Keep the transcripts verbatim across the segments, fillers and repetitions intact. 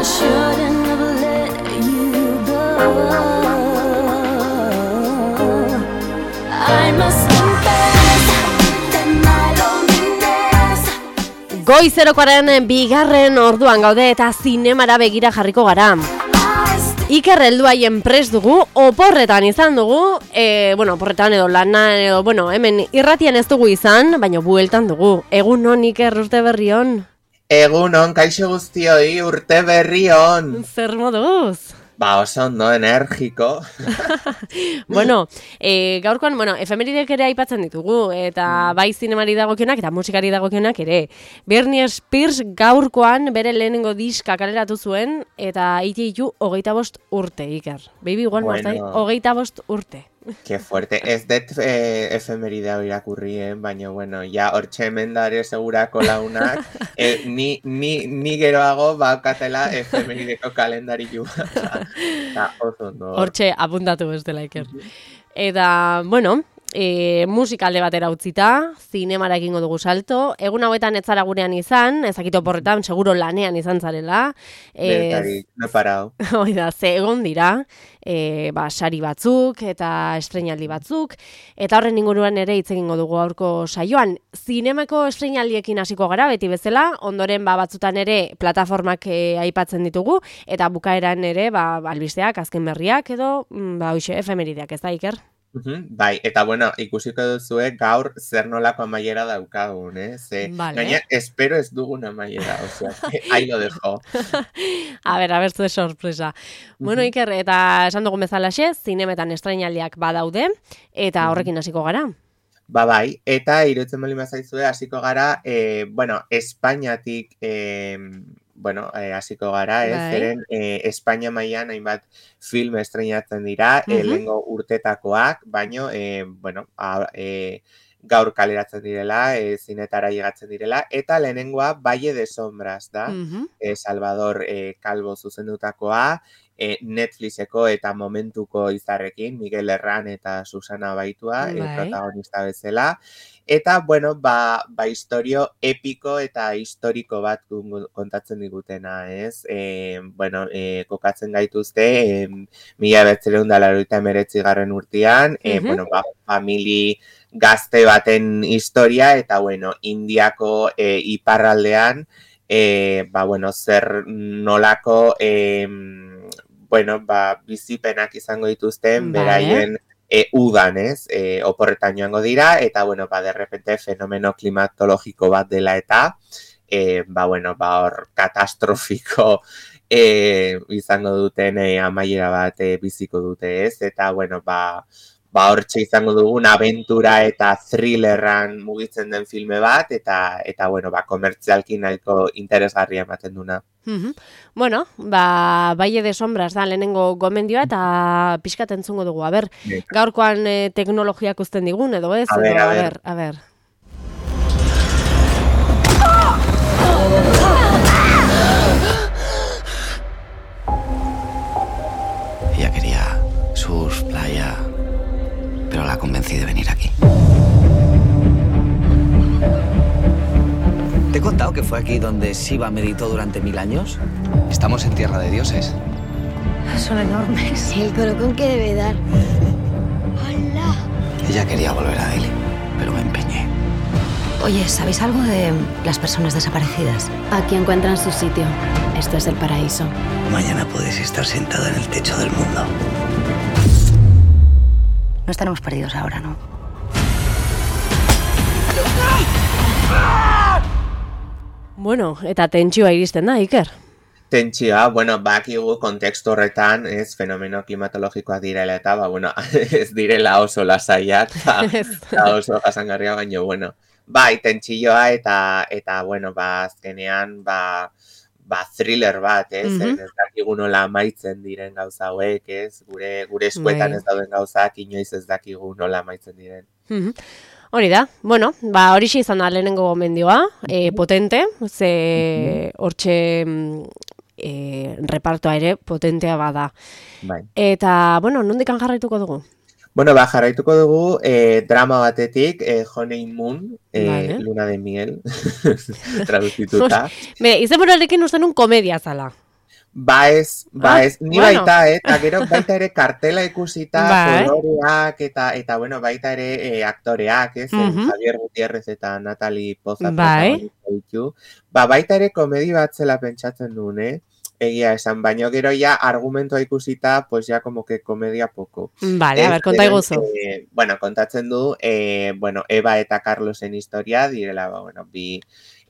shouldn't have let you go. I must confess that my loneliness. Goizerokoaren bigarren orduan gaude eta zinemara begira jarriko gara. Iker helduaien prest dugu, oporretan izan dugu, e, bueno, oporretan edo lana, edo, bueno, hemen irratian ez dugu izan, baina bueltan dugu. Egun on, Iker, urte berri on? Egun on, kaixo guztioi, urte berri on. Zer moduz? Ba, oso ondo, energiko. Bueno, e, gaurkoan, bueno, efemeridek ere aipatzen ditugu, eta bai zinemari dagokionak eta musikari dagokionak ere. Britney Spears gaurkoan bere lehenengo diska kaleratu zuen, eta iti ditu hogeita bost urte, Iker. Baby, igual bueno. Maztai, hogeita bost urte. Que fuerte, ez det eh, efemeridea irakurrien, baina, bueno, ja, hortxe hemen dare segurako launak, eh, ni, ni, ni geroago baukatela efemerideko kalendari juba. Hortxe apuntatu ez dela, Iker. Eta, bueno, e, musika alde batera utzita, zinemara egingo dugu salto. Egun hauetan ez zara gurean izan, ezakito porretan, seguro lanean izan zarela. Bertarik, no parao. Oida, ze egon dira, e, ba, sari batzuk eta estreinaldi batzuk, eta horren inguruan ere hitz egingo dugu aurko saioan. Zinemako estreinaldiekin hasiko gara, beti bezala, ondoren ba, batzutan ere plataformak e, aipatzen ditugu, eta bukaeran ere ba, albisteak, azken berriak edo, ba, hoxe, efemerideak, ez da, Iker? Uhum, bai, eta bueno, ikusiko duzue gaur zer nolako amaiera daukagun, eh? Ze, vale. Gaina, espero ez dugun amaiera, osea, ahí lo dejo. A ber, a ber, zue sorpresa. Uh-huh. Bueno, Iker, eta esan dugun bezalaxe, zinemetan estrainaldiak badaude, eta horrekin hasiko gara. Ba bai, eta iruditzen bali mazaizue hasiko gara, eh, bueno, Espainiatik, eh, bueno, hasiko eh, gara, ez, zeren eh, Espainia mailan hainbat film estreinatzen dira, uh-huh. eh, lehengo urtetakoak, baino, eh, bueno, a, eh, gaur kaleratzen direla, eh, zinetara llegatzen direla, eta lehenengoa Valle de Sombras da, uh-huh. eh, Salvador eh, Calvo zuzendutakoa, eh, Netflixeko eta momentuko izarrekin, Miguel Herran eta Susana Baitua, eh, protagonista bezala. Eta, bueno, ba, ba historio epiko eta historiko bat kontatzen digutena, ez? E, bueno, e, kokatzen gaituzte, e, mila bederatziehun eta laurogeita hemeretzi garren urtean, e, uh-huh. bueno, ba, famili gazte baten historia, eta, bueno, Indiako e, iparraldean, e, ba, bueno, zer nolako, e, bueno, ba, bizipenak izango dituzten, vale. Beraien, E, udan, ez, e, oporretan joango dira, eta, bueno, ba, de repente, fenomeno klimatologiko bat dela eta, e, ba, bueno, ba, hor, katastrofiko e, izango duten e, amaiera bat e, biziko dute, ez, eta, bueno, ba, ba, hortxe izango dugun abentura eta thrillerran mugitzen den filme bat, eta, eta bueno, ba, komertzialki nahiko interesgarria ematen duna. Uh-huh. Bueno, ba, Valle de Sombras da lehenengo gomendioa eta pixkat entzungo dugu. A ber, gaurkoan eh, teknologiak uzten digun, edo ez? A ber, edo, a ber. A ber. Ella quería surf, playa, pero la convencí de venir aquí. ¿Te he contado que fue aquí donde Shiva meditó durante mil años? Estamos en tierra de dioses. Son enormes. El colocón que debe dar. ¡Hola! Ella quería volver a Delhi, pero me empeñé. Oye, ¿sabéis algo de las personas desaparecidas? Aquí encuentran su sitio. Esto es el paraíso. Mañana podéis estar sentada en el techo del mundo. No estaremos perdidos ahora, ¿no? Bueno, eta tentsioa iristen da, Iker. Tentsioa, bueno, bakigu kontekstu horretan, ez, fenomeno klimatologikoak direla eta, ba, bueno, ez direla oso lasaiak, eta oso jasangarria, baina, bueno, bai, tentsioa eta, eta, bueno, ba, azkenean, ba, ba, thriller bat, ez, mm-hmm. ez dakigu nola amaitzen diren gauza hauek, ez, gure, gure eskuetan ez dauden gauzak, inoiz ez dakigu nola amaitzen diren. Mm-hmm. Hori da, bueno, ba, horixe izan da lehenengo gomendioa, e, potente, ze hortxe e, repartoa ere potentea bada. Bai. Eta, bueno, nondikan jarraituko dugu? Bueno, ba, jarraituko dugu eh, drama batetik, eh, Honeymoon, eh, vale. Luna de miel, traduzituta. Be, izen burarekin uste nun komedia zala. Ba ez, ba Ah, ez, ni bueno. baita, eh, eta gero baita ere kartela ikusita, Bai. koloreak, eta, eta bueno, baita ere eh, aktoreak, ez, zen Mhm. Javier Gutiérrez eta Natalie Poza Bai. protagonista ditu. Ba, baita ere komedi bat zela pentsatzen duen, eh? Egia esan, baino gero ja argumentoa ikusita, pues ya como que komedia poco. Vale, a Ez, ber, konta zeren, iguzu. eh, bueno, kontatzen du, eh, bueno, Eva eta Carlosen historia, direla, ba, bueno, bi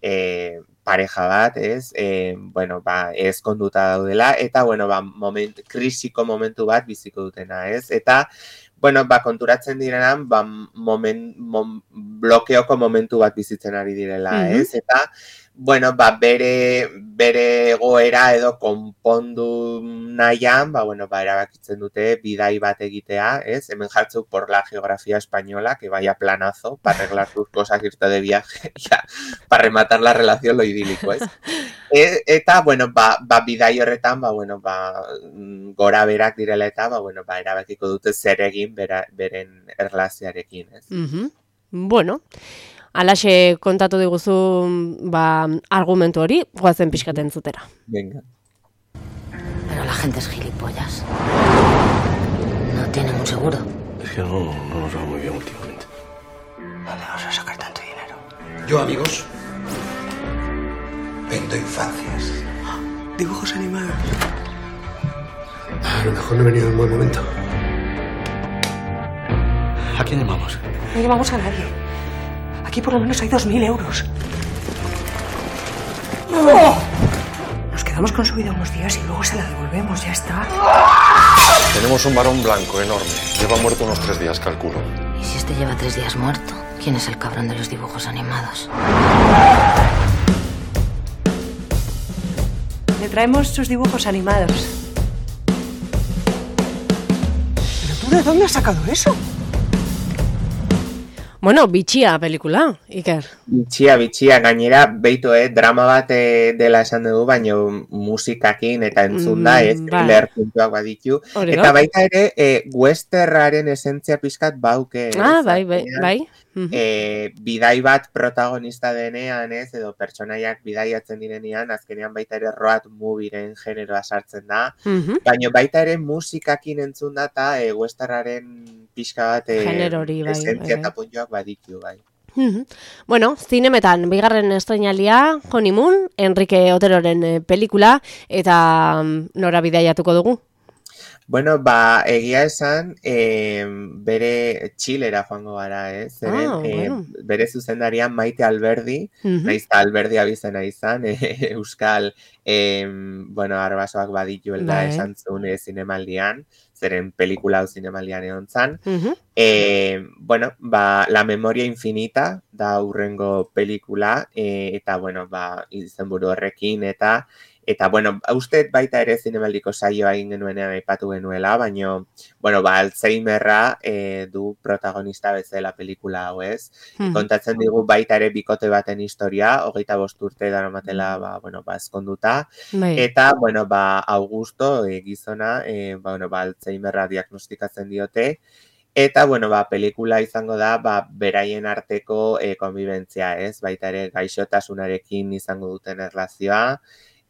eh, pareja bat, ez, eh, bueno, ba, ezkonduta daudela, eta, bueno, ba, moment, krisiko momentu bat biziko dutena, ez, eta, bueno, ba, konturatzen direnan, ba, moment, mom, blokeoko momentu bat bizitzen ari direla, Mhm. ez, eta, bueno, ba, bere, bere egoera edo konpondu nahian, ba, bueno, ba, erabakitzen dute bidai bat egitea, ez? Hemen jartzuk por la geografía española, que vaya planazo, para arreglar tus cosas, irte de viaje, ya, para rematar la relación, lo idílico, ez? E, eta, bueno, ba, ba, bidai horretan, ba, bueno, ba, gora berak direla eta, ba, bueno, ba, erabakiko dute zer egin bera, beren erlazioarekin, ez? Mhm. Bueno, alaxe kontatu diguzu ba, argumentu hori, goazen pixkaten zutera. Venga. Pero la gente es gilipollas. No tienen un seguro. Es que no, no nos va muy bien últimamente. ¿Dónde vas a sacar tanto dinero? Yo, amigos, vendo infancias. Dibujos animados. A lo mejor no he venido en buen momento. ¿A quién llamamos? No llevamos a nadie. Aquí por lo menos hay dos mil euros. Nos quedamos con su vida unos días y luego se la devolvemos, ya está. Tenemos un varón blanco enorme. Lleva muerto unos tres días, calculo. ¿Y si este lleva tres días muerto? ¿Quién es el cabrón de los dibujos animados? Le traemos sus dibujos animados. ¿Pero tú de dónde has sacado eso? Bueno, bitxia pelikula, Iker. Bitxia, bitxia, gainera, beitu, eh, drama bat eh, dela esan dugu, baino musikakin eta entzunda, Mm, ez, bai. thriller puntuak baditu. Hori Eta da. baita ere, eh, westerraren esentzia pizkat bauke. ez, Ah, bai, bai, azkenean, bai. Mhm. eh, bidai bat protagonista denean, ez, edo pertsonaiak bidaiatzen direnean, azkenean baita ere road movieren generoa sartzen da, Mhm. baina baita ere musikakin entzun da eta e, westerraren pixka bat e, Genero hori, bai, esentzia bai, eta bai. puntuak baditu, bai. Mhm. Bueno, zinemetan, bigarren estreinalia, Honeymoon, Enrique Oteroren eh, pelikula, eta mm, nora bidaiatuko dugu. Bueno, ba, egia esan, eh, bere Txilera joango gara, ez? Zeren, Ah, eh, bueno. bere zuzendarian Maite Alberdi, Mhm. naiz eta Alberdi abizena izan, eh, Euskal, eh, bueno, arbasoak badituela Bai. esan zuen eh, zinemaldian, zeren pelikula hau zinemaldian egon zan. Mhm. Eh, bueno, ba, La Memoria Infinita da hurrengo pelikula, eh, eta, bueno, ba, izenburu horrekin, eta, eta, bueno, uste baita ere zinemaldiko saioa egin genuenean aipatu genuela, baino, bueno, ba, Alzheimerra eh, du protagonista bezala pelikula hau, ez? Mhm. Kontatzen digu baita ere bikote baten historia, hogeita bost urte daramatela, ba, bueno, ba, ezkonduta, Bai. eta, bueno, ba, Augusto, e, gizona, e, ba, bueno, ba, Alzheimerra diagnostikatzen diote, eta, bueno, ba, pelikula izango da, ba, beraien arteko e, konbibentzia, ez? Baita ere gaixotasunarekin izango duten erlazioa,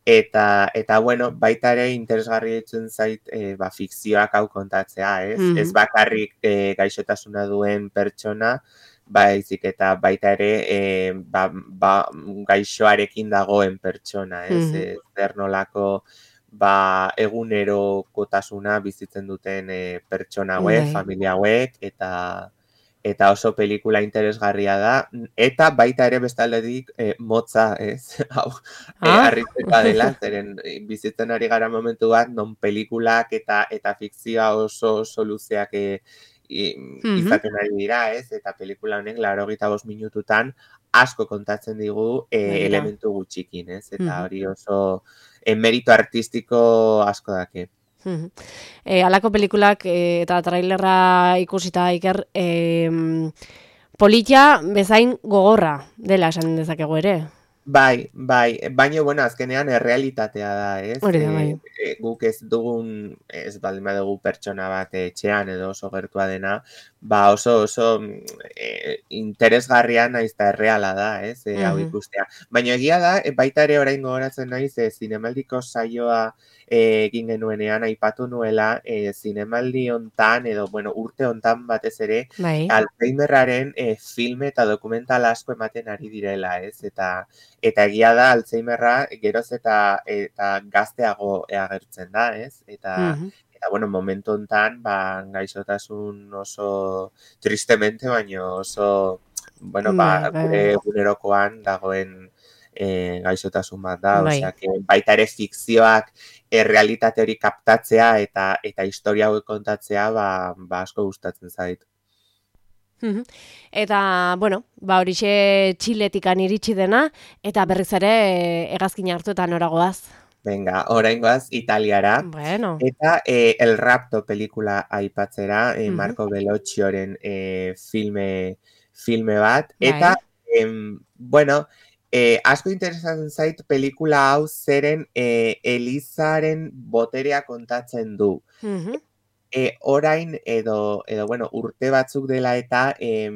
eta, eta, bueno, baita ere interesgarri ditzen zait, e, ba, fikzioak hau kontatzea, ez? Mhm. Ez bakarrik e, gaixotasuna duen pertsona, baizik eta baita ere e, ba, ba, gaixoarekin dagoen pertsona, ez? Mhm. E, zer nolako ba, egunerokotasuna bizitzen duten e, pertsona hauek, Bai. familia hauek, eta eta oso pelikula interesgarria da, eta baita ere bestaldetik e, motza, ez? Hau, e, Ah. harritzekoa dela, zeren e, bizitzen ari gara momentu bat, non pelikulak eta eta fikzioa oso oso luzeak e, i- Mhm. izaten ari dira, ez? Eta pelikula honek laurogeita bost minututan asko kontatzen digu e, Begira. elementu gutxikin, ez? Eta Mhm. hori oso e, merito artistiko asko dake. Mhm. E, alako pelikulak e, eta trailerra ikusita Iker, e, politia bezain gogorra dela esan dezakegu ere. Bai, bai, baina, bueno, azkenean errealitatea da, ez? Hori da, E, bai. e, guk ez dugun, ez baldin badugu pertsona bat etxean edo oso gertua dena, ba oso oso e, interesgarria naiz eta erreala da, ez, e, hau ikustea. Baina egia da, e, baita ere orain gogoratzen naiz, e, zinemaldiko saioa e, egin genuenean, aipatu nuela, e, zinemaldi hontan, edo, bueno, urte hontan batez ere, bai. Alzheimerraren e, filme eta dokumental asko ematen ari direla, ez, eta eta egia da, Alzheimerra geroz eta, eta gazteago agertzen da, ez, eta Eta, bueno, momentu hontan, ba, gaixotasun oso tristemente, baina oso, bueno, ba, gure gunerokoan dagoen e, gaixotasun bat da, osea, que baita ere fikzioak e, realitate hori kaptatzea eta eta historia hauek kontatzea, ba, ba asko gustatzen zait. Eta, bueno, ba horixe Txiletikan iritsi dena, eta berriz ere hegazkina hartu eta noragoaz. Venga, oraingoaz Italiara. Bueno. Eta eh, El Rapto pelikula aipatzera, eh, uh-huh. Marco Belloccioren eh, filme, filme bat. Bai. Eta, eh, bueno, eh, asko interesatzen zait pelikula hau zeren eh, Elizaren boterea kontatzen du. Uh-huh. E, orain edo, edo bueno, urte batzuk dela eta eh,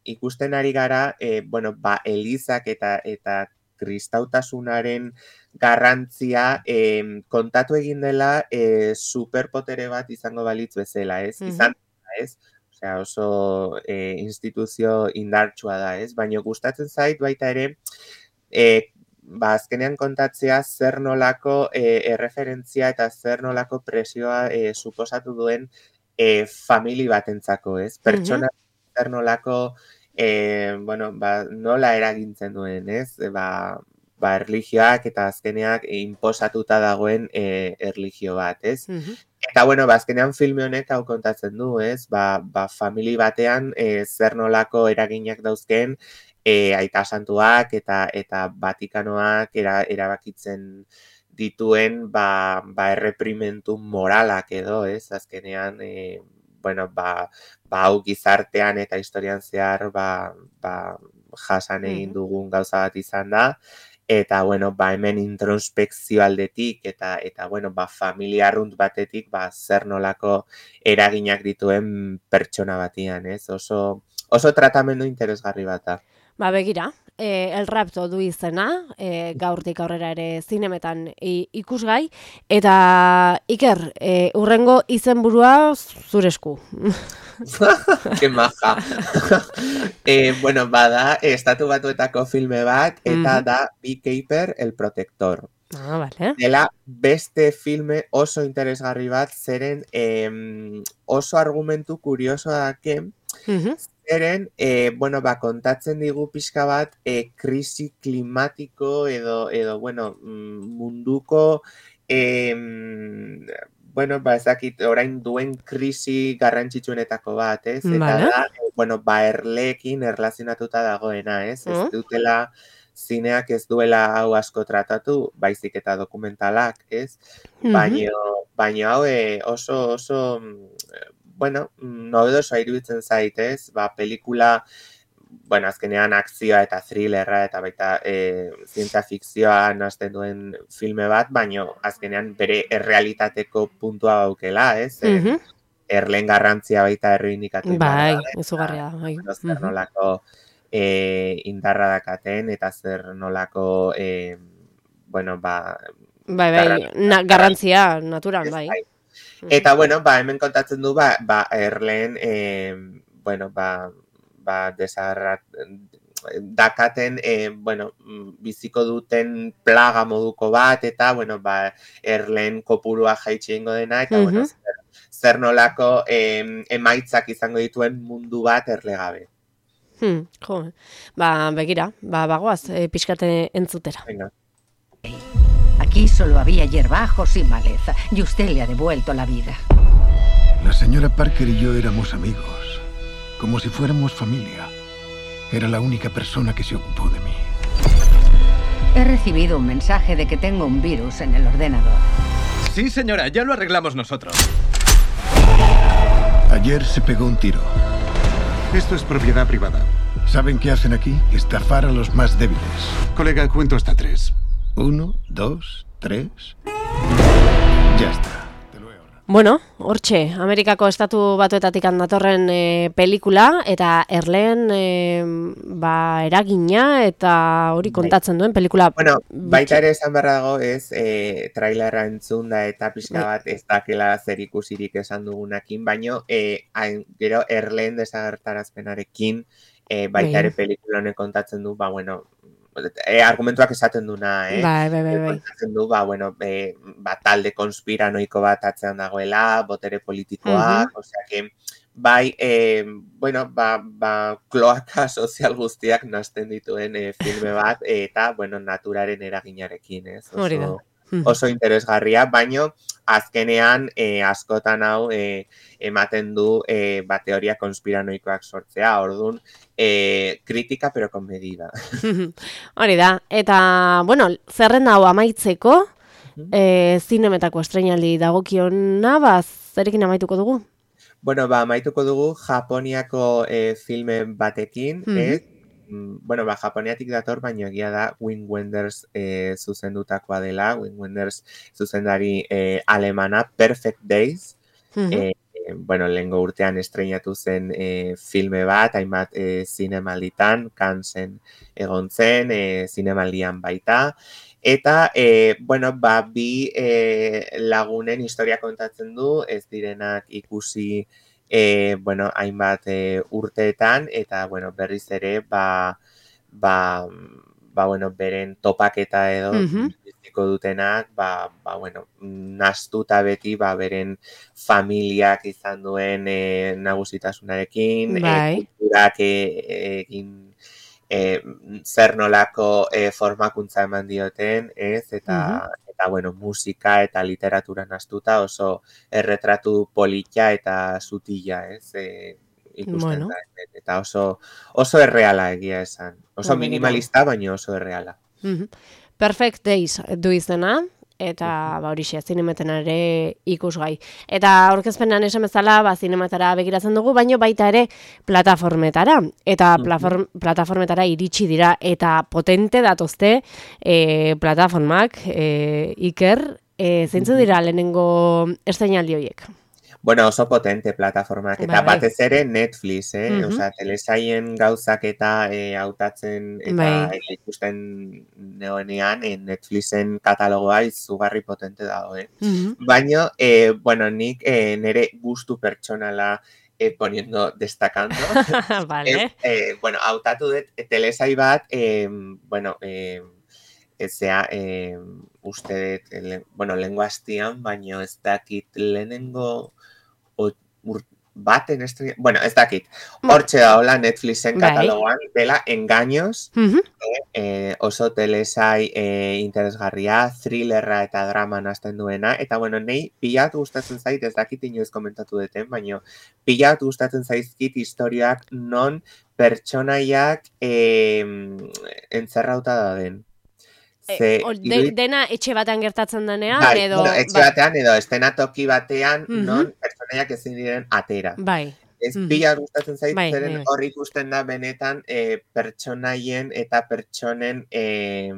ikusten ari gara, eh, bueno, ba, Elizak eta eta kristautasunaren garrantzia eh, kontatu egin dela eh, superpotere bat izango balitz bezala, ez? Uh-huh. Izan, ez? Osea, oso eh, instituzio indartsua da, ez? Baina gustatzen zait baita ere, eh, ba, azkenean kontatzea zer nolako e, erreferentzia eta zer nolako presioa e, suposatu duen e, famili batentzako, ez? Pertsona uh-huh. zer nolako, e, bueno, ba, nola eragintzen duen, ez? E, ba, ba, erlijioak eta azkeneak e, inposatuta dagoen e, erlijio bat, ez? Uh-huh. Eta, bueno, ba, azkenean filme honek hau kontatzen du, ez? Ba, ba famili batean e, zer nolako eraginak dauzken, E, aita santuak eta eta Vatikanoak era, erabakitzen dituen ba, ba erreprimentu moralak edo, ez? Azkenean, e, bueno, ba, ba hau gizartean eta historian zehar ba, ba jasan egin dugun gauza bat izan da. Eta, bueno, ba hemen introspekzio aldetik eta, eta bueno, ba familia arrunt batetik ba zer nolako eraginak dituen pertsona batian, ez? Oso, oso tratamendu interesgarri bat da. Ba, begira, e, El Rapto du izena, e, gaurtik aurrera ere zinemetan ikusgai, eta Iker, e, urrengo izenburua zure esku. Que maja. e, bueno, bada, estatu batuetako filme bat, eta mm. da Beekeeper, El Protector. Ah, vale. Dela beste filme oso interesgarri bat, zeren eh, oso argumentu kuriosoa dake, uh-huh. Zeren, eh, bueno, ba, kontatzen digu pixka bat, eh, krisi klimatiko edo, edo bueno, munduko, eh, bueno, ba, ezakit, orain duen krisi garrantzitsuenetako bat, ez? Eta vale. da, eh, bueno, ba, erleekin erlazionatuta dagoena, ez? Uh-huh. Ez dutela, zineak ez duela hau asko tratatu, baizik eta dokumentalak, ez? Uh-huh. Baina, baina hau eh, oso, oso... bueno, nobedosoa iruditzen zait, ez? Ba, pelikula, bueno, azkenean akzioa eta thrillerra eta baita e, zientzia fikzioa nazten duen filme bat, baina azkenean bere errealitateko puntua daukela, ez? Uh-huh. Erleen garrantzia baita erreindikatu. Bai, izugarria. Bai. Zer nolako e, indarra dakaten eta zer nolako, e, bueno, ba... Bai, bai, garrantzia, na, garrantzia naturan, bai. bai. Eta, bueno, ba, hemen kontatzen du, ba, ba erleen, eh, bueno, ba, ba, desagarrat, dakaten, eh, bueno, biziko duten plaga moduko bat, eta, bueno, ba, erleen kopurua jaitsi egingo dena, eta, uh-huh. bueno, zer, zer nolako eh, emaitzak izango dituen mundu bat erlegabe. Hmm, jo, ba, begira, ba, bagoaz, eh, pixkate entzutera. Venga. Aquí solo había hierbajos y maleza, y usted le ha devuelto la vida. La señora Parker y yo éramos amigos, como si fuéramos familia. Era la única persona que se ocupó de mí. He recibido un mensaje de que tengo un virus en el ordenador. Sí, señora, ya lo arreglamos nosotros. Ayer se pegó un tiro. Esto es propiedad privada. ¿Saben qué hacen aquí? Estafar a los más débiles. Colega, cuento hasta tres. Uno, dos, tres... Ya está. Bueno, hortxe, Amerikako estatu batuetatik datorren e, pelikula, eta erleen e, ba, eragina eta hori kontatzen duen pelikula. Bueno, baita ere esan behar dago ez, e, trailerra entzun da eta pixka bat ez dakela zer ikusirik esan dugunakin, baino e, hain, gero erleen desagertarazpenarekin e, baita ere pelikula honek kontatzen du, ba, bueno, E, argumentuak esaten duna, eh? Bai, bai, bai, bai. Esaten du, ba, bueno, e, ba, talde konspiranoiko bat atzean dagoela, botere politikoak, uh-huh. Osea que, bai, e, bueno, ba, ba, kloaka sozial guztiak nazten dituen e, filme bat, eta, bueno, naturaren eraginarekin, ez? Oso, oso interesgarria, baino, azkenean, e, askotan hau, e, ematen du, e, ba, teoria konspiranoikoak sortzea, orduan, E, kritika, pero con medida. Hori da. Eta, bueno, zerrenda hau amaitzeko, uh-huh. e, zinemetako estreinaldi dagokiona, ba, zerekin amaituko dugu? Bueno, ba, amaituko dugu Japoniako e, filmen batekin, uh-huh. ez? Bueno, ba, Japoniatik dator, baina egia da Wim Wenders e, zuzendutakoa dela, Wim Wenders zuzendari e, alemana, Perfect Days, uh-huh. e, bueno, lehengo urtean estreinatu zen e, filme bat, hainbat e, zinemalditan, Canesen egon zen, e, zinemaldian baita, eta, e, bueno, ba, bi e, lagunen historia kontatzen du, ez direnak ikusi, e, bueno, hainbat e, urteetan, eta, bueno, berriz ere, ba, ba, ba, bueno, beren topaketa edo, uh-huh. dutenak, ba, ba, bueno, nastuta beti, ba, beren familiak izan duen e, nagusitasunarekin, bai. e, kulturak egin e, zer nolako e, formakuntza eman dioten, ez, eta, uh-huh. eta, bueno, musika eta literatura nastuta oso erretratu polita eta sutila, ez, e, ikusten bueno. da, eta oso, oso erreala egia esan, oso minimalista, baina oso erreala. Uh-huh. Perfect Days du izena, eta ba, horixe, zinemeten ere ikusgai. Eta aurkezpenan esan bezala, ba, zinematara begiratzen dugu, baino baita ere plataformetara. Eta uh-huh. plataformetara iritsi dira, eta potente datozte e, plataformak, e, Iker, e, zeintzu dira lehenengo estreinaldi horiek? Bueno, oso potente plataformak, eta bai, batez ere Netflix, eh? Uh-huh. Osea, telesaien gauzak eta e, hautatzen eta bai. ikusten neonean, e, Netflixen katalogoa izugarri potente dago, eh? Uh-huh. Baina, e, bueno, nik e, nire gustu pertsonala e, poniendo, destacando. Vale. E, e, bueno, hautatu dut, e, telesai bat, e, bueno, e, ezea, e, uste dut, le, bueno, lengua hastian, baina ez dakit lehenengo baten estrella, bueno, ez dakit, hortxe da hola Netflixen katalogoan, dela Engaños, uh-huh. eh, eh, oso telesai eh, interesgarria, thrillerra eta drama nazten duena, eta bueno, nei pilat gustatzen zait, ez dakit inoiz komentatu deten, baina pilat gustatzen zaizkit historiak non pertsonaiak eh, entzerrauta da den. Ze, e, de, dena etxe batean gertatzen denean, bai, edo... Bueno, etxe bai. batean, edo estenatoki batean, uh-huh. non pertsonaiak ezin diren atera. Bai. Ez uh-huh. pila gustatzen zait, bai, zeren bai. Hor ikusten da benetan e, pertsonaien eta pertsonen, e,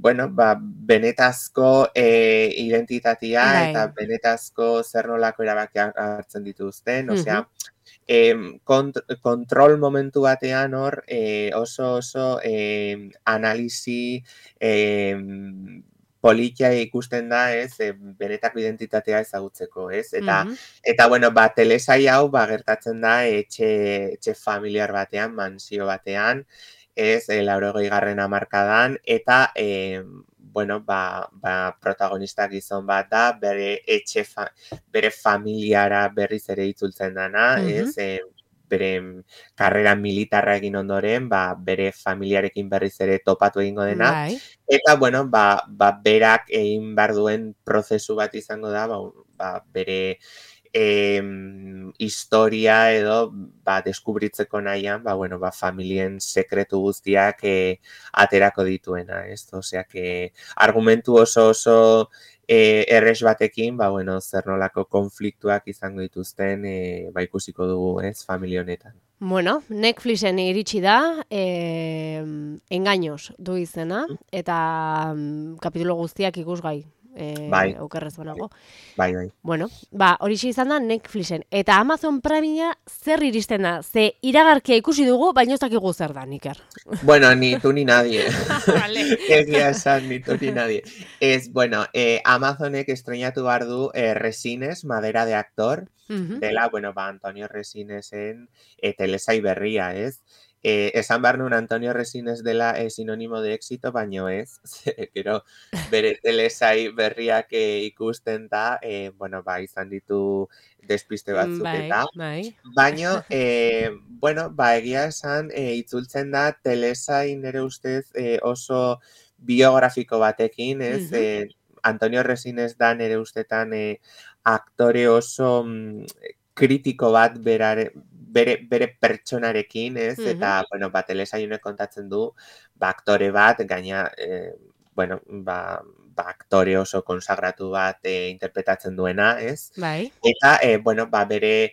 bueno, ba, benetazko e, identitatea bai. Eta benetazko zer nolako erabakiak hartzen dituzten, uh-huh. osea, E, kont- kontrol momentu batean hor e, oso oso e, analisi e, politia ikusten da, ez, e, benetako identitatea ezagutzeko, ez, eta, uh-huh. eta bueno, ba, telesai hau, ba, gertatzen da etxe, etxe familiar batean, mansio batean, ez, e, laurogei garren hamarkadan, eta, e, bueno, ba, ba, protagonista gizon bat da, bere etxe, fa, bere familiara berriz ere itzultzen dana, uh-huh. ez, e, bere karrera militarra egin ondoren, ba, bere familiarekin berriz ere topatu egingo dena, right. Eta, bueno, ba, ba, berak egin behar duen prozesu bat izango da, ba, ba, bere eh, historia edo ba, deskubritzeko nahian, ba, bueno, ba, familien sekretu guztiak eh, aterako dituena, ez? Osea, que argumentu oso oso eh, erres batekin, ba, bueno, zer nolako konfliktuak izango dituzten, eh, ba, ikusiko dugu, ez, familia honetan. Bueno, Netflixen iritsi da, eh, Engaños du izena, eta mm, kapitulo guztiak ikusgai. e, bai. okerrez banago. Bai, bai. Bueno, ba, horixe izan da Netflixen. Eta Amazon Primea zer iristen da? Ze iragarkia ikusi dugu, baina ez dakigu zer da, Iker. Bueno, ni tú ni nadie. Vale. Egia esan, ni tú ni nadie. Es, bueno, eh, Amazonek estrenatu behar du eh, Resines, Madera de Actor, Mhm. dela, bueno, ba, Antonio Resinesen eh, telesai berria, ez? Eh, esan behar nun Antonio Resines dela eh, sinónimo de éxito, baino ez. Gero, bere telesai berriak eh, ikusten da, eh, bueno, ba, izan ditu despiste batzuk Bai, eta. bai. Baino, eh, bueno, ba, egia esan, eh, itzultzen da telesai nire ustez eh, oso biografiko batekin, ez? Mhm. Eh, Antonio Resines da nire ustetan eh, aktore oso mm, kritiko bat berare, bere, bere pertsonarekin, ez? Mhm. Eta, bueno, ba, telesaiunek kontatzen du, ba, aktore bat, gaina, eh, bueno, ba, ba, aktore oso konsagratu bat eh, interpretatzen duena, ez? Bai. Eta, eh, bueno, ba, bere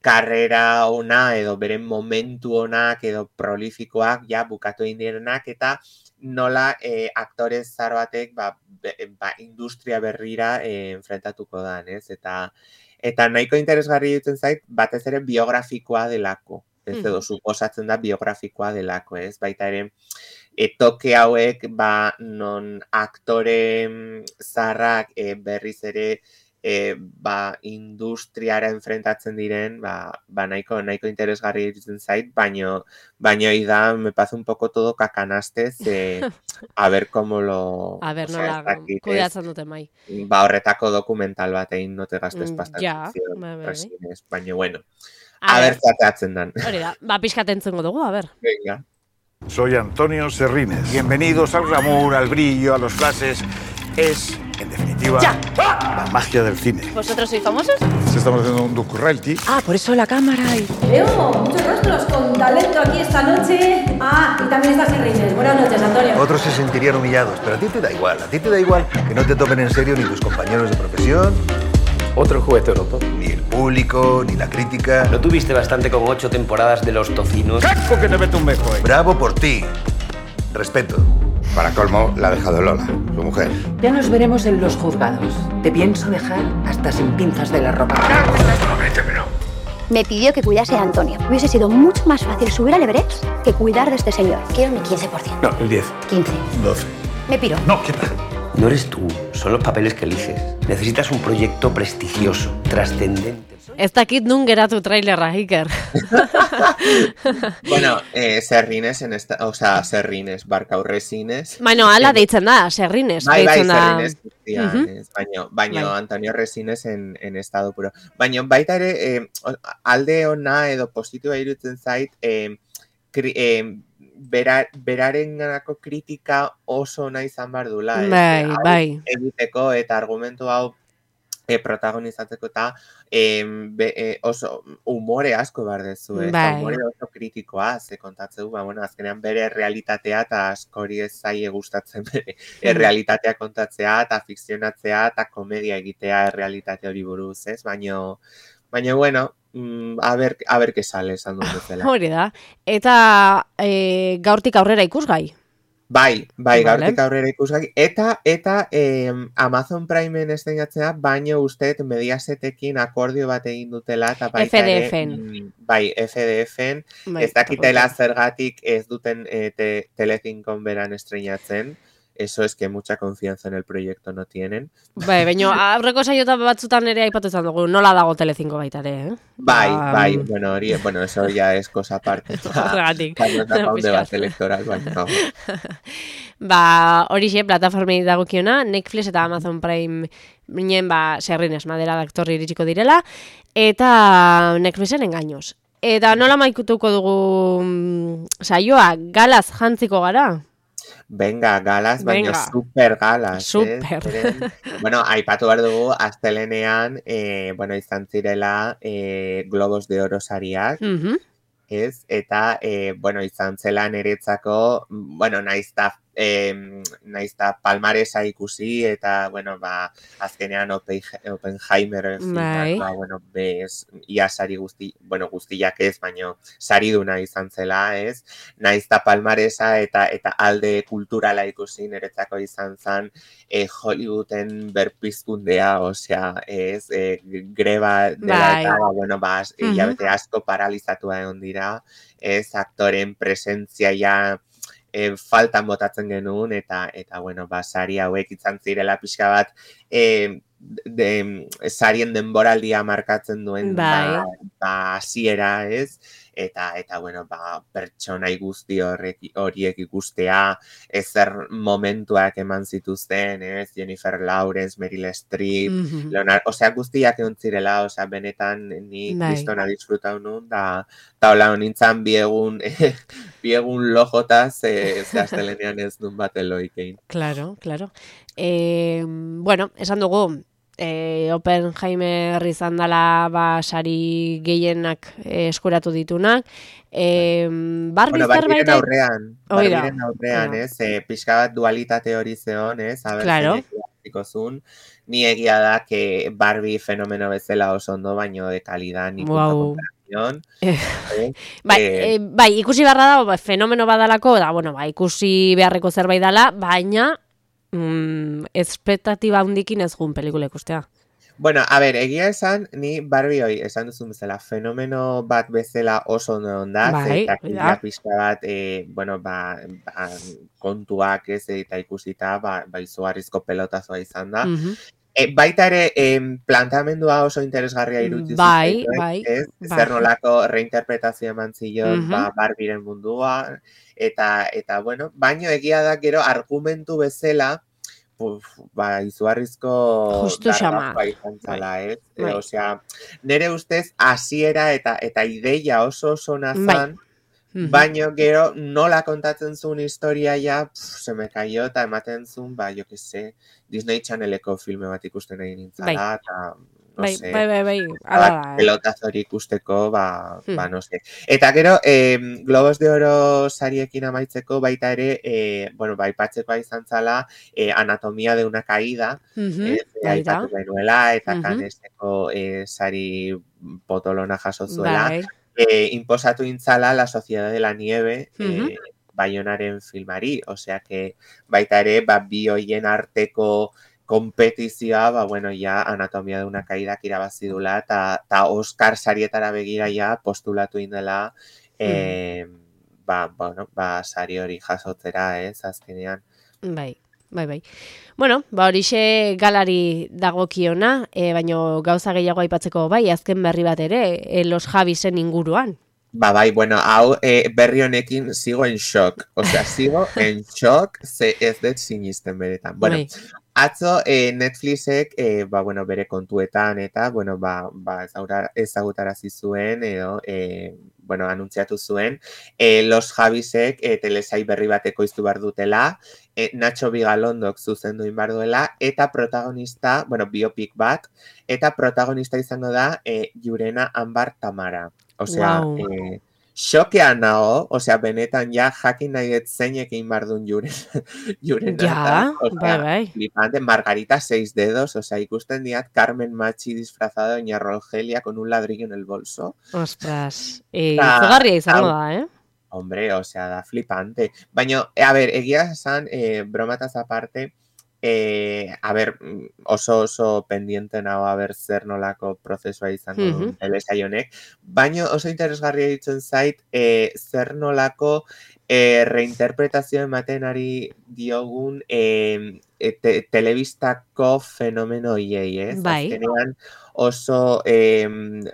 karrera ona edo bere momentu onak edo prolifikoak ja bukatu egin direnak eta nola eh, aktore zahar batek ba, be, ba, industria berrira eh, enfrentatuko dan, ez? Eta eta nahiko interesgarri dutzen zait, batez ere biografikoa delako. Ez edo Mhm. suposatzen da biografikoa delako, ez? Baita ere, e, toke hauek ba, non aktore mm, zaharrak e, berriz ere e, ba, industriara enfrentatzen diren, ba, ba nahiko, nahiko interesgarri iruditzen zait, baino, baino da, me pasa un poco todo cacanastez, eh, a ver cómo lo... A ber, o sea, nola ez dakit, ez, kudeatzen duten bai. ba, horretako dokumental bat egin no te gastes Mm, pasta ja, en ficción, bai, bai, bai. Resines, baina bueno. A A ber. ber, zateatzen dan. Hori da, ba, pixkat entzengo dugu, a ber. Venga. Soy Antonio Serrines. Bienvenidos al glamour, al brillo, a los flashes. Es, en definitiva, ¡Ya! la magia del cine. ¿Vosotros sois famosos? Si estamos haciendo un docu-reality. Ah, por eso la cámara y... Veo muchos rostros con talento aquí esta noche. Ah, y también está Serrines. Buenas noches, Antonio. Otros se sentirían humillados, pero a ti te da igual. A ti te da igual que no te tomen en serio ni tus compañeros de profesión, Otro juguete roto. ni el público, ni la crítica. ¿No tuviste bastante con ocho temporadas de Los Tocinos? ¡Caco que te meto un bejo, eh! Bravo por ti. Respeto. Para colmo, la ha dejado Lola, su mujer. Ya nos veremos en los juzgados. Te pienso dejar hasta sin pinzas de la ropa. Prométemelo. Me pidió que cuidase a Antonio. Hubiese sido mucho más fácil subir al Everest que cuidar de este señor. Quiero mi quince por ciento. No, el diez. quince. doce. Me piro. No, ¿qué tal? No eres tú, son los papeles que eliges. Necesitas un proyecto prestigioso, trascendente. Ez dakit nun geratu trailerra, Iker. Bueno, eh, Serrines en esta, o sea, Serrines, Barkau Resines. Baina, ala deitzen da, Serrines. Bai, bai, deitzen da. Serrines, guztian, Mhm. ez, baino, baino Bai. Antonio Resines en, en estado puro. Baina baita ere, eh, alde ona edo positiboa iruditzen zait, eh, kri, eh, bera, beraren ganako kritika oso ona izan behar dula. ez? Bai, Hau bai. egiteko eta argumentu hau e, protagonizatzeko eta e, be, e, oso umore asko behar dezu, ez? Bai. Umore oso kritikoa, ze kontatzeu, ba, bueno, azkenean bere realitatea eta askori ez zaie gustatzen bere Mm. realitatea kontatzea eta fikzionatzea eta komedia egitea realitate hori buruz, ez? Baino, baina, bueno, mm, a ver, a ver que sale, esan dut bezala. Hori da. Eta e, gaurtik aurrera ikusgai. Bai, bai, Vale. gaurtik aurrera ikusgai. Eta, eta eh, Amazon Primeen estrenatzea, baino usteet Mediasetekin akordio bat egin dutela, eta baita F D ere, F-en. mm, bai, F D F-en, Bai, ez dakitela eta zergatik ez duten eh, te, Telecincon beran estrenatzen, eso es que mucha confianza en el proyecto no tienen. Bai, baina aurreko saiotan batzutan ere aipatu izan dugu, nola dago Telecinco baita ere, eh? Bai, Ba, bai, bueno, hori, bueno, eso ya es cosa aparte. Horregatik. Baina da pa un Pixkat. debate electoral, baina. Ba, horixe, plataformei dagokiona, Netflix eta Amazon Prime minen, ba, Serrines, Madera de Actor iritsiko direla, eta Netflixen engaños. Eta nola maikutuko dugu mm, saioa, galaz jantziko gara? Venga, galas, baina Venga. super galas. Super. Eh? Zeren, bueno, aipatu behar dugu, astelenean, eh, bueno, izan zirela eh, Globos de Oro sariak, Mhm. ez? Eta, eh, bueno, izan zela niretzako, bueno, naiz eta eh, naiz da palmaresa ikusi, eta, bueno, ba, azkenean Oppenheimer filmak, ba, bueno, bez, ia sari guzti, bueno, guztiak ez, baino, sariduna izan zela, ez? Naiz da palmaresa eta eta alde kulturala ikusi, niretzako izan zen eh, Hollywooden berpizkundea, osea, ez, eh, greba dela eta, ba, bueno, ba, hilabete asko paralizatua egon dira, ez, aktoren presentzia ja e, faltan botatzen genuen, eta, eta bueno, ba, sari hauek izan zirela pixka bat, e, de, sarien denboraldia markatzen duen, ba, ba, hasiera, ez, eta, eta bueno, ba, pertsonai guzti horrek, horiek ikustea, ezer momentuak eman zituzten, ez, Jennifer Lawrence, Meryl Streep, mm-hmm. Leonardo, osea, guztiak egon zirela, osea, benetan ni kristona disfrutau nun, da, da hola honintzan biegun, biegun lojotaz, eh, zehaztelenean ez nun bat eloikein. Claro, claro. Eh, bueno, esan dugu, Eh, Oppenheimer izan dela ba, sari gehienak eh, eskuratu ditunak. Eh, Barbie bueno, Barbiren aurrean, Barbiren aurrean, Oida. ez, eh, pixka bat dualitate hori zeon, ez, a ber, claro. zun, ni egia da que Barbie fenomeno bezala oso ondo, baino de calidad ni punto wow. comparación. Eh, eh, bai, eh, eh, bai, ikusi beharra da, ba, fenomeno badalako, da, bueno, ba, ikusi beharreko zerbait dela, baina Mm, espektatiba hundikin ez gun pelikula ikustea. Bueno, a ber, egia esan, ni Barbie hoi, esan duzun bezala, fenomeno bat bezala oso ondo ondaz, bai, eta kila pixka bat, e, bueno, ba, ba, kontuak ez, eta ikusita, ba, ba izugarrizko pelotazoa izan da. Mm-hmm. E, baita ere, em, planteamendua oso interesgarria iruditu bai, zitzen, bai, ez? bai. Zer nolako reinterpretazio eman zion, Mm-hmm. ba, Barbiren mundua, eta, eta, bueno, baino egia da gero argumentu bezala, Uf, ba, izugarrizko darrazoa izan zala, ez? E, osea, nire ustez, hasiera eta eta ideia oso oso nazan, bai. Baino gero nola kontatzen zuen historia ja, pff, se me cayó, eta ematen zuen, ba, jo que se, Disney Channeleko filme bat ikusten egin nintzala, bai. eta, no bai, sé, bai, bai, bai, ala da, eh? pelotazori ikusteko, ba, hmm. ba, no sé. Eta gero, eh, Globos de Oro sariekin amaitzeko baita ere, eh, bueno, ba, ipatzeko izan zala, eh, Anatomía de una caída, mm-hmm. eh, aipatu benuela, eta mm-hmm. Canneseko eh, sari potolona jaso zuela, bai. eh, imposatu intzala La Sociedad de la Nieve, mm-hmm. eh, Bayonaren filmari, osea que baita ere, ba, bi hoien arteko kompetizioa, ba, bueno, ja, Anatomia de una caída irabazi dula, eta ta Oscar sarietara begira ja postulatu indela, eh, mm. ba, bueno, ba, sari hori jasotzera, ez, azkenean. Bai, bai, bai. Bueno, ba, horixe galari dagokiona, e, baino gauza gehiago aipatzeko bai, azken berri bat ere, e, Los Javisen inguruan. Ba, bai, bueno, hau eh, berri honekin sigo en shock, osea, sigo en shock, ze ez dut sinisten beretan. Bueno, bai. Atzo eh, Netflixek, eh, ba, bueno, bere kontuetan eta, bueno, ba, ba ezagutarazi zuen edo, eh, bueno, anuntziatu zuen, eh, Los Javisek eh, telesai berri bateko iztu behar dutela, eh, Nacho Vigalondo zuzendu inbar duela, eta protagonista, bueno, biopic bat, eta protagonista izango da eh, Jurena Ambar Tamara. Osea, wow. eh, xokean nago, osea, benetan ja jakin nahi dut zeinek egin bardun juren. juren ja, bai, bai. Flipante, Margarita seis dedos, osea, ikusten diat Carmen Machi disfrazada de Doña Rogelia con un ladrillo en el bolso. Ostras, e, izugarria izango da, eh? Hombre, osea, da flipante. Baina, a ver, egia esan, eh, bromataz aparte, Eh, a ber, oso oso pendiente nago a ber zer nolako prozesua izango duen mm-hmm. telesai honek, baina oso interesgarria ditzen zait eh, zer nolako eh, reinterpretazio ematen ari diogun eh, te, telebistako fenomeno hiei, ez? Bai. Azkenean oso eh,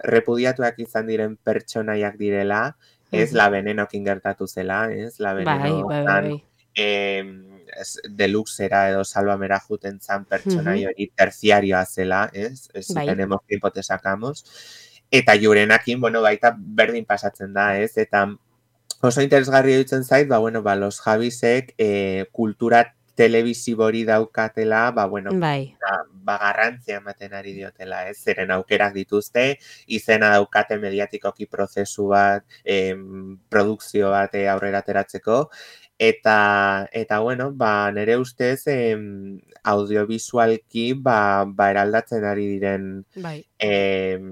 repudiatuak izan diren pertsonaiak direla, ez mm-hmm. La Venenokin gertatu zela, ez? La Veneno bai, bai, bai, bai. Eh, deluxera edo salvamera juten zan pertsonai hori uh-huh. terciarioa zela, ez? Ez bai. Tenemos tiempo te sacamos. Eta Jurenakin, bueno, baita berdin pasatzen da, ez? Eta oso interesgarri dutzen zait, ba, bueno, ba, Los Javisek eh, kultura telebisibori daukatela, ba, bueno, bai. ba, ba garrantzia ematen ari diotela, ez? Zeren aukerak dituzte, izena daukate mediatikoki prozesu bat, em, produkzio bat eh, aurrera ateratzeko, eta, eta bueno, ba, nire ustez, em, audiovisualki, ba, ba eraldatzen ari diren bai. em,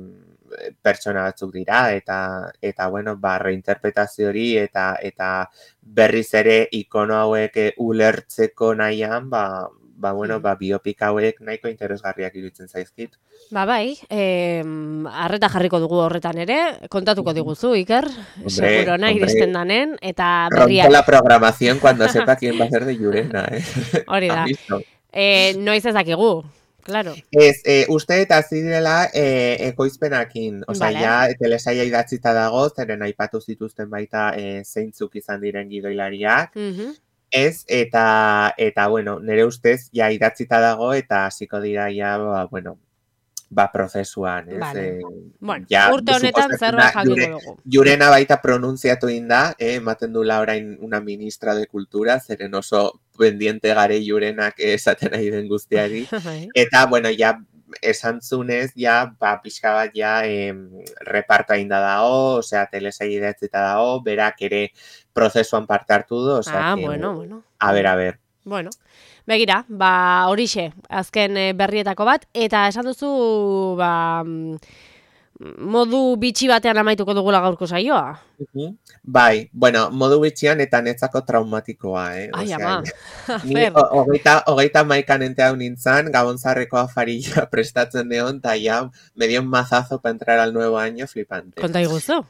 pertsona batzuk dira, eta, eta bueno, ba, reinterpretazio hori, eta, eta berriz ere ikono hauek eh, ulertzeko nahian, ba, ba, bueno, ba, biopik hauek nahiko interesgarriak iruditzen zaizkit. Ba bai, eh, arreta jarriko dugu horretan ere, kontatuko diguzu, Iker, seguro nahi iristen danen, eta berriak. Rompo la programación cuando sepa quién va a ser de Llurena, eh? Hori da. Eh, noiz ez dakigu, claro. Ez, eh, uste eta zirela eh, ekoizpenakin, osea, Vale. ja, telesaia idatzita dago, zeren aipatu zituzten baita eh, zeintzuk izan diren gidoilariak, Mhm. ez, eta, eta, bueno, nire ustez, ja, idatzita dago, eta hasiko dira, ja, ba, bueno, ba, prozesuan, ez? Vale. Eh, Bueno, ja, urte honetan suposatzen zerbait da, jakingo Llure- dugu. Llurena baita pronunziatu inda, eh, ematen dula orain una ministra de cultura, zeren oso pendiente gare Llurenak esaten nahi den guztiari. Bai. Eta, bueno, ja, esan zunez, ja, ba, pixka bat, ja, em, reparta inda dago, osea, telesaia idatzita dago, berak ere prozesuan parte hartu du, osea, Ah, que, bueno, bueno. a ber, a ber. Bueno, begira, ba, horixe, azken eh, berrietako bat, eta esan duzu, ba, mm, modu bitxi batean amaituko dugula gaurko saioa. Mhm. Bai, bueno, modu bitxian eta netzako traumatikoa, eh? Ai, Osea, ama. Ni Zer. ho- hogeita, hogeita maikan ente hau nintzen, gabonzarreko afarilla prestatzen neon, eta ya me dio un mazazo para entrar al nuevo año flipante. Konta iguzu.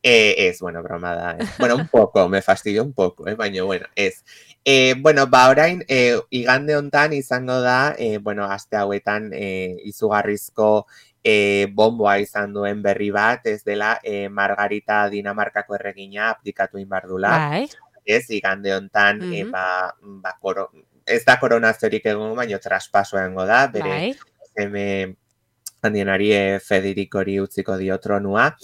Eh, es, bueno, broma da. Eh. Bueno, un poco, me fastidió un poco, eh, baina, bueno, ez. Eh, bueno, ba, orain, eh, igande hontan izango da, eh, bueno, aste hauetan eh, izugarrizko eh, bomboa izan duen berri bat, ez dela eh, Margarita Dinamarkako erregina aplikatu inbardula. Bai. Ez, igande hontan, eh, Mhm. ba, ba, koro, ez da koronaziorik egongo, baina traspaso egongo da, bere Bai. seme handienari eh, Federikori utziko dio tronua.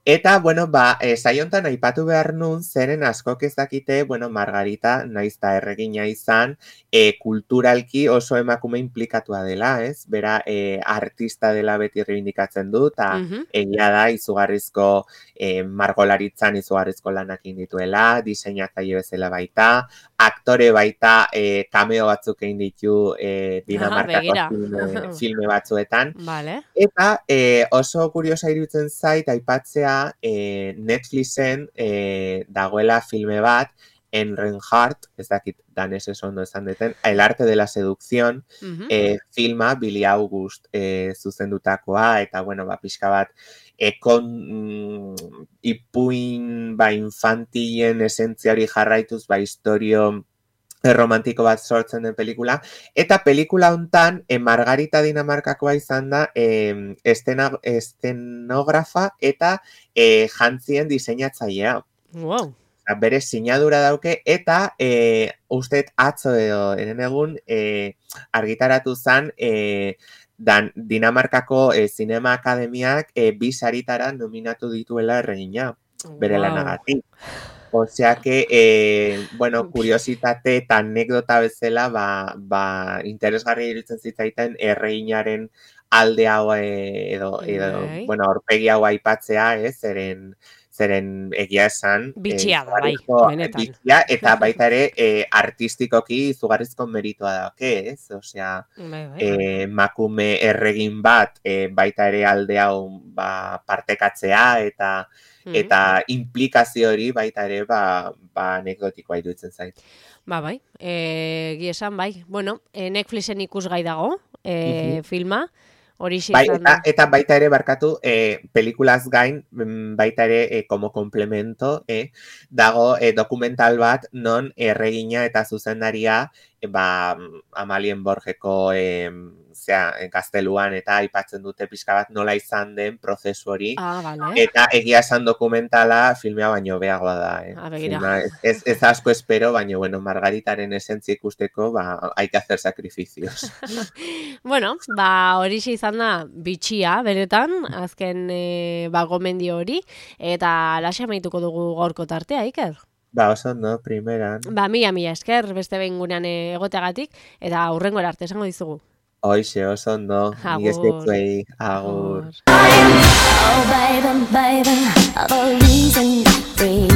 Eta, bueno, ba, e, saiontan aipatu behar nun, zeren askok ez dakite, bueno, Margarita, naiz ta erregina izan, e, kulturalki oso emakume implikatua dela, ez? Bera, e, artista dela beti reivindikatzen du, eta Mhm. egia da, izugarrizko e, margolaritzan izugarrizko lanak dituela, diseinatzaile bezala baita, aktore baita, e, cameo batzuk egin ditu e, Dinamarkako begira. filme, filme batzuetan. Vale. Eta eh, oso kuriosa iruditzen zait aipatzea eh, Netflixen eh, dagoela filme bat, Enrenhart, ez dakit danesez ondo esan deten, El arte de la seducción, Mhm. eh, filma Billy August eh, zuzendutakoa, eta bueno, ba, pixka bat, eh, kon mm, ipuin ba, infantilen esentzia hori jarraituz, ba, historio romantiko bat sortzen den pelikula, eta pelikula hontan e, Margarita Dinamarkakoa izan da e, estena, estenografa eta e, jantzien diseinatzailea. Wow. Bere sinadura dauke, eta e, usteet atzo edo eren egun e, argitaratu zen e, dan, Dinamarkako e, Zinema Akademiak e, bi saritara nominatu dituela erregina, bere Wow. lanagatik. Osea que, eh, bueno, kuriositate eta anekdota bezala, ba, ba, interesgarri iruditzen zitzaiten erreginaren alde hau eh, edo, edo Bai. bueno, aurpegi hau aipatzea, ez, zeren, zeren egia esan. Bitxia da, bai, izugarrizko benetan. bitxia, eta baita ere eh, artistikoki izugarrizko meritoa dauke, ez? Osea, Bai, bai. eh, emakume erregin bat eh, baita ere alde hau ba, partekatzea, eta Mhm. eta implikazio hori baita ere ba, ba anekdotikoa iruditzen zait. Ba, bai, e, egia esan, bai. Bueno, e, Netflixen ikusgai dago, e, Mhm. filma, hori Bai, izan eta, da. eta baita ere barkatu, eh, pelikulaz gain, mm, baita ere eh, como complemento, eh, dago eh, dokumental bat non erregina eta zuzendaria eh, ba, Amalien Borgeko eh, zea, gazteluan eta aipatzen dute pixka bat nola izan den prozesu hori. Ah, vale. Eta egia esan dokumentala filmea baino beagoa da. Eh? Ah, begira. Filma, ez, ez asko espero, baina bueno, Margaritaren esentzia ikusteko, ba, hay que hacer sacrificios. Bueno, ba, hori izan da bitxia, beretan, azken e, ba, gomendio hori, eta laxe amaituko dugu gaurko tartea, Iker. Ba, oso ondo, primeran. Ba, mila, mila esker, beste behin gurean egoteagatik, eta aurrengora arte esango dizugu. Hoixe, oso ondo, mila eskertuei, agur. Oh, baby, baby, the reason to breathe.